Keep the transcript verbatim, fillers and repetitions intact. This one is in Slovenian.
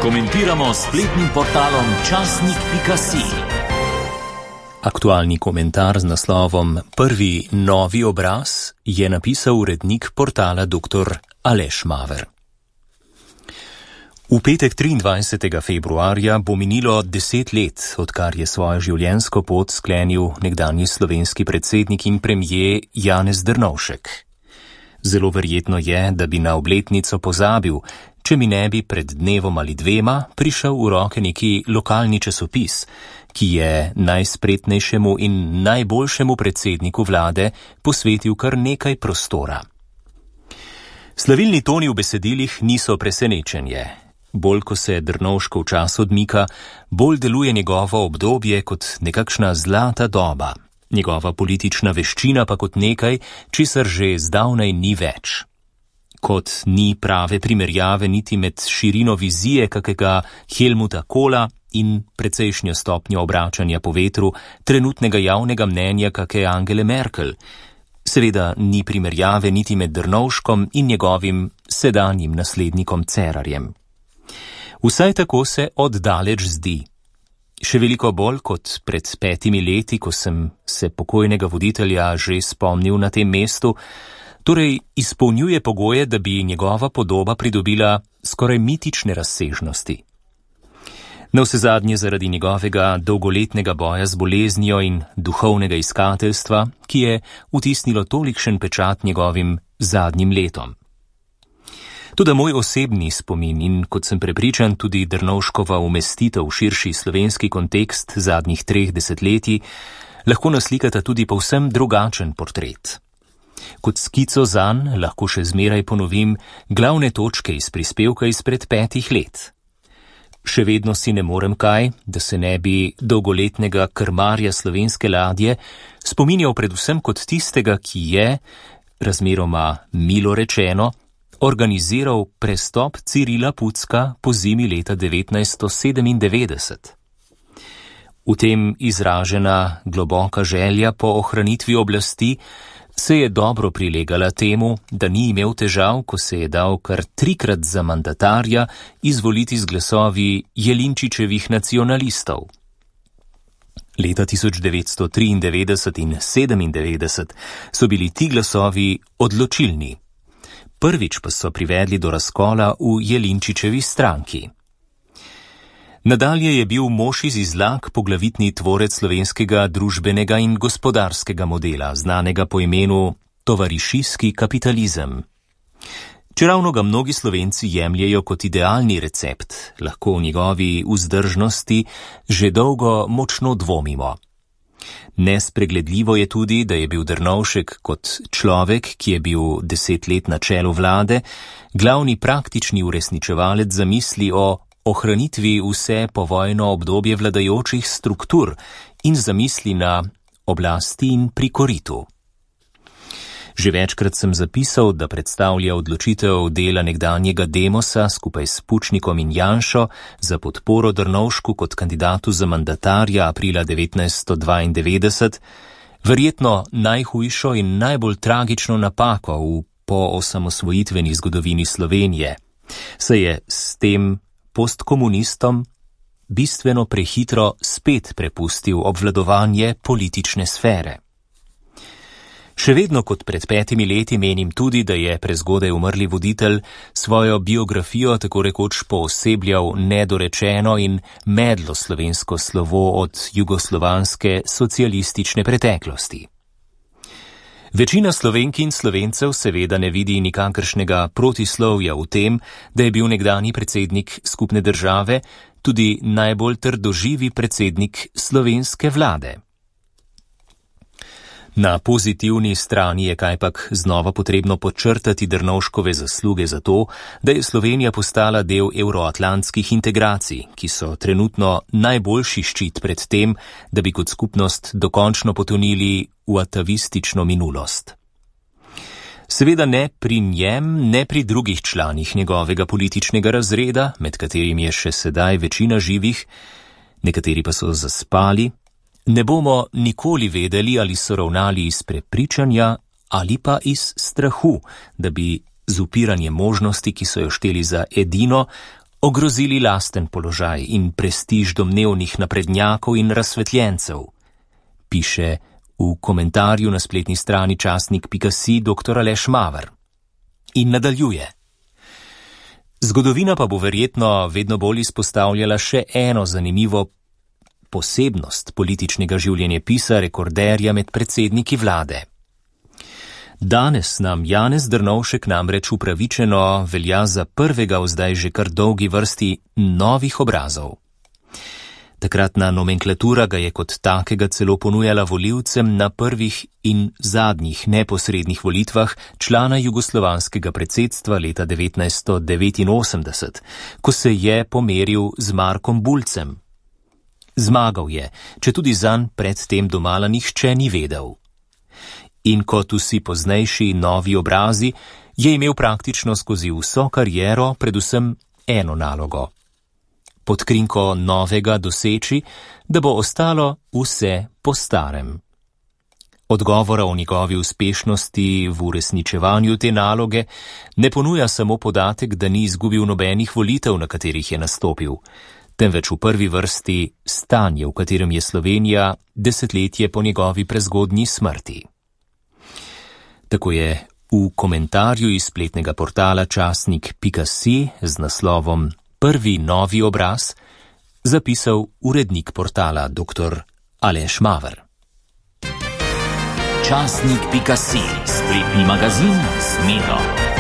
Komentiramo s spletnim portalom časnik pika si. Aktualni komentar z naslovom Prvi novi obraz je napisal urednik portala doktor Aleš Maver. V petek triindvajsetega februarja bo minilo deset let, odkar je svojo življenjsko pot sklenil nekdanji slovenski predsednik in premier Janez Drnovšek. Zelo verjetno je, da bi na obletnico pozabil, če mi ne bi pred dnevom ali dvema prišel v roke neki lokalni časopis, ki je najspretnejšemu in najboljšemu predsedniku vlade posvetil kar nekaj prostora. Slavilni toni v besedilih niso presenečenje. Bolj ko se Drnovškov čas odmika, bolj deluje njegovo obdobje kot nekakšna zlata doba, njegova politična veščina pa kot nekaj, česar že zdavnaj ni več. Kot ni prave primerjave niti med širino vizije kakega Helmuta Kohla in precejšnjo stopnjo obračanja po vetru trenutnega javnega mnenja kake Angele Merkel. Seveda ni primerjave niti med Drnovškom in njegovim sedanjim naslednikom Cerarjem. Vsaj tako se oddaleč zdi. Še veliko bolj kot pred petimi leti, ko sem se pokojnega voditelja že spomnil na tem mestu, torej izpolnjuje pogoje, da bi njegova podoba pridobila skoraj mitične razsežnosti. Navsezadnje zaradi njegovega dolgoletnega boja z boleznijo in duhovnega iskateljstva, ki je vtisnilo tolikšen pečat njegovim zadnjim letom. Toda moj osebni spomin in, kot sem prepričan, tudi Drnovškova umestitev v širši slovenski kontekst zadnjih treh desetletij lahko naslikata tudi povsem drugačen portret. Kot skico zanj lahko še zmeraj ponovim glavne točke iz prispevka izpred petih let. Še vedno si ne morem kaj, da se ne bi dolgoletnega krmarja slovenske ladje spominjal predvsem kot tistega, ki je, razmeroma milo rečeno, organiziral prestop Cirila Pucka po zimi leta devetnajststo sedemindevetdeset. V tem izražena globoka želja po ohranitvi oblasti se je dobro prilegala temu, da ni imel težav, ko se je dal kar trikrat za mandatarja izvoliti z glasovi Jelinčičevih nacionalistov. Leta tisoč devetsto triindevetdeset in sedemindevetdeset so bili ti glasovi odločilni. Prvič pa so privedli do razkola v Jelinčičevi stranki. Nadalje je bil mož iz Izlag poglavitni tvorec slovenskega družbenega in gospodarskega modela, znanega po imenu tovarišijski kapitalizem. Čeravno ga mnogi Slovenci jemljejo kot idealni recept, lahko v njegovi vzdržnosti že dolgo močno dvomimo. Nespregledljivo je tudi, da je bil Drnovšek kot človek, ki je bil deset let na čelu vlade, glavni praktični uresničevalec zamisli o ohranitvi vse povojno obdobje vladajočih struktur in zamisli na oblasti in pri koritu. Že večkrat sem zapisal, da predstavlja odločitev dela nekdanjega Demosa skupaj s Pučnikom in Janšo za podporo Drnovšku kot kandidatu za mandatarja aprila devetnajststo dvaindevetdeset, verjetno najhujšo in najbolj tragično napako v poosamosvojitveni zgodovini Slovenije, saj je s tem postkomunistom bistveno prehitro spet prepustil obvladovanje politične sfere. Še vedno kot pred petimi leti menim tudi, da je prezgodaj umrli voditelj svojo biografijo tako rekoč poosebljal nedorečeno in medlo slovensko slovo od jugoslovanske socialistične preteklosti. Večina Slovenk in Slovencev seveda ne vidi nikakršnega protislovja v tem, da je bil nekdanji predsednik skupne države tudi najbolj trdoživi predsednik slovenske vlade. Na pozitivni strani je kajpak znova potrebno podčrtati Drnovškove zasluge za to, da je Slovenija postala del evroatlantskih integracij, ki so trenutno najboljši ščit pred tem, da bi kot skupnost dokončno potonili v atavistično minulost. Seveda ne pri njem, ne pri drugih članih njegovega političnega razreda, med katerimi je še sedaj večina živih, nekateri pa so zaspali, ne bomo nikoli vedeli, ali so ravnali iz prepričanja ali pa iz strahu, da bi z upiranjem možnosti, ki so jo šteli za edino, ogrozili lasten položaj in prestiž domnevnih naprednjakov in razsvetljencev, piše v komentarju na spletni strani časnik pika si doktor Aleš Maver. In nadaljuje. Zgodovina pa bo verjetno vedno bolj izpostavljala še eno zanimivo posebnost političnega življenjepisa rekorderja med predsedniki vlade. Danes nam Janez Drnovšek namreč upravičeno velja za prvega v zdaj že kar dolgi vrsti novih obrazov. Takratna nomenklatura ga je kot takega celo ponujala volivcem na prvih in zadnjih neposrednih volitvah člana jugoslovanskega predsedstva leta devetnajststo devetinosemdeset, ko se je pomeril z Markom Bulcem. Zmagal je, če tudi zanj predtem domala nihče ni vedel. In kot vsi poznejši novi obrazi, je imel praktično skozi vso kariero predvsem eno nalogo. Pod krinko novega doseči, da bo ostalo vse po starem. Odgovora o njegovi uspešnosti v uresničevanju te naloge ne ponuja samo podatek, da ni izgubil nobenih volitev, na katerih je nastopil, temveč v prvi vrsti stanje, v katerem je Slovenija desetletje po njegovi prezgodnji smrti. Tako je v komentarju iz spletnega portala časnik pika si z naslovom Prvi novi obraz zapisal urednik portala doktor Aleš Maver. Časnik pika si, spletni magazin s Medo.